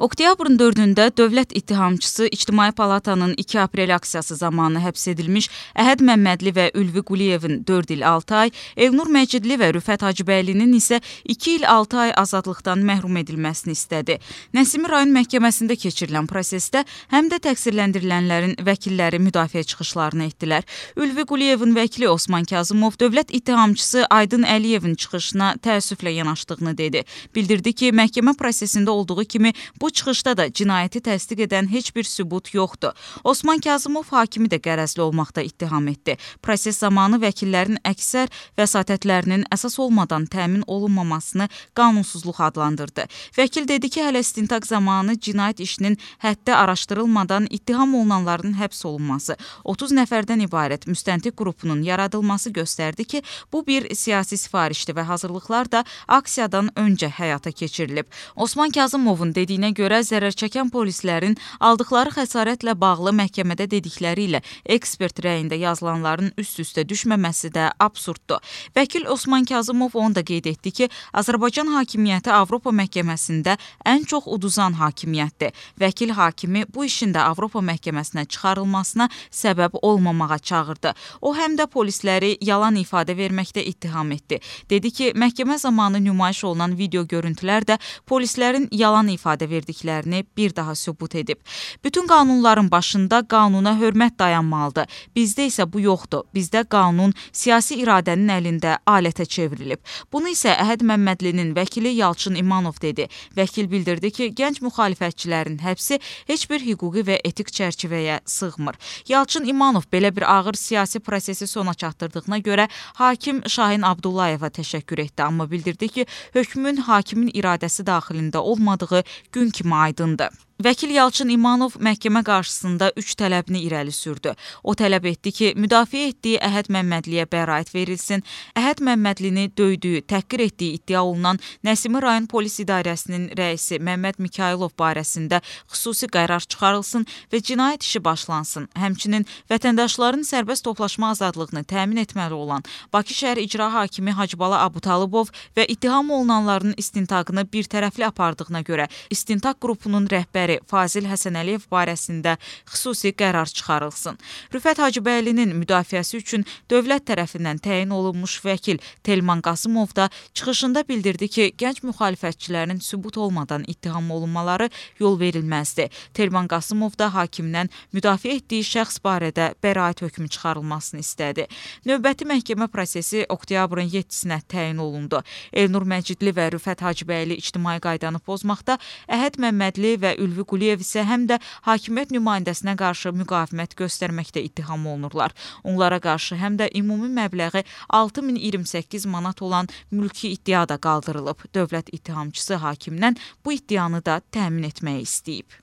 Oktyabrın 4-də dövlət ittihamçısı İctimai Palatanın 2 aprel aksiyası zamanı həbs edilmiş Əhəd Məmmədli və Ülvi Quliyevin 4 il 6 ay, Elnur Məcidli və Rüfət Hacıbəylinin isə 2 il 6 ay azadlıqdan məhrum edilməsini istədi. Nəsimi rayon məhkəməsində keçirilən prosesdə həm də təqsirləndirilənlərin vəkilləri müdafiə çıxışlarını etdilər. Ülvi Quliyevin vəkili Osman Kazımov dövlət ittihamçısı Aydın Əliyevin çıxışına təəssüflə yanaşdığını dedi. Bildirdi ki, məhkəmə prosesində olduğu kimi bu çıxışda da cinayəti təsdiq edən heç bir sübut yoxdur. Osman Kazımov hakimi də qərəzli olmaqda ittiham etdi. Proses zamanı vəkillərin əksər vəsatətlərinin əsas olmadan təmin olunmamasını qanunsuzluq adlandırdı. Vəkil dedi ki, hələ istintaq zamanı cinayət işinin həddə araşdırılmadan ittiham olunanların həbs olunması, 30 nəfərdən ibarət müstəntiq qrupunun yaradılması göstərdi ki, bu bir siyasi sifarişdir və hazırlıqlar da aksiyadan öncə həyata keçirilib. Osman Kazımovun dediyinə görə zərərçəkən polislərin aldıqları xəsarətlə bağlı məhkəmədə dedikləri ilə ekspert rəyində yazılanların üst-üstə düşməməsi də absurddur. Vəkil Osman Kazımov onu da qeyd etdi ki, Azərbaycan hakimiyyəti Avropa məhkəməsində ən çox uduzan hakimiyyətdir. Vəkil hakimi bu işin də Avropa məhkəməsinə çıxarılmasına səbəb olmamağa çağırdı. O həm də polisləri yalan ifadə verməkdə ittiham etdi. Dedi ki, məhkəmə zamanı nümayiş olunan video görüntülər də polislərin yalan ifadə verdiklərini bir daha sübut edib. Bütün qanunların başında qanuna hörmət dayanmalıdır. Bizdə isə bu yoxdur. Bizdə qanun siyasi iradənin əlində alətə çevrilib. Bunu isə Əhəd Məmmədlinin vəkili Yalçın İmanov dedi. Vəkil bildirdi ki, gənc müxalifətçilərin həbsi heç bir hüquqi və etik çərçivəyə sığmır. Yalçın İmanov belə bir ağır siyasi prosesi sona çatdırdığına görə hakim Şahin Abdullayeva təşəkkür etdi, amma bildirdi ki, hökmün hakimin iradəsi daxilində olmadığı gün kimi aydındır. Vəkil Yalçın İmanov məhkəmə qarşısında 3 tələbini irəli sürdü. O tələb etdi ki, müdafiə etdiyi Əhəd Məmmədliyə bəraət verilsin, Əhəd Məmmədlini döydüyü, təhqir etdiyi iddia olunan Nəsimi rayon polis idarəsinin rəisi Məmməd Mikayılov barəsində xüsusi qərar çıxarılsın və cinayət işi başlansın. Həmçinin vətəndaşların sərbəst toplaşma azadlığını təmin etməli olan Bakı şəhər icra hakimi Hacıbala Abutalibov və ittiham olunanların istintaqını bir tərəfli apardığına görə istintaq qrupunun rəhbəri Fazil Həsənəliyev barəsində xüsusi qərar çıxarılsın. Rüfət Hacıbəylinin müdafiəsi üçün dövlət tərəfindən təyin olunmuş vəkil Telman Qasımov da çıxışında bildirdi ki, gənc müxalifətçilərin sübut olmadan ittiham olunmaları yol verilməzdir. Telman Qasımov da hakimdən müdafiə etdiyi şəxs barədə bəraət hökmü çıxarılmasını istədi. Növbəti məhkəmə prosesi oktyabrın 7-sinə təyin olundu. Elnur Məcidli və Rüfət Hacıbəyli ictimai qaydanı pozmaqda, Əhəd Məmmədli və Ülvi Quliyev isə həm də hakimiyyət nümayəndəsinə qarşı müqavimət göstərməkdə ittiham olunurlar. Onlara qarşı həm də ümumi məbləği 6028 manat olan mülki iddia da qaldırılıb. Dövlət ittihamçısı hakimdən bu iddianı da təmin etməyi istəyib.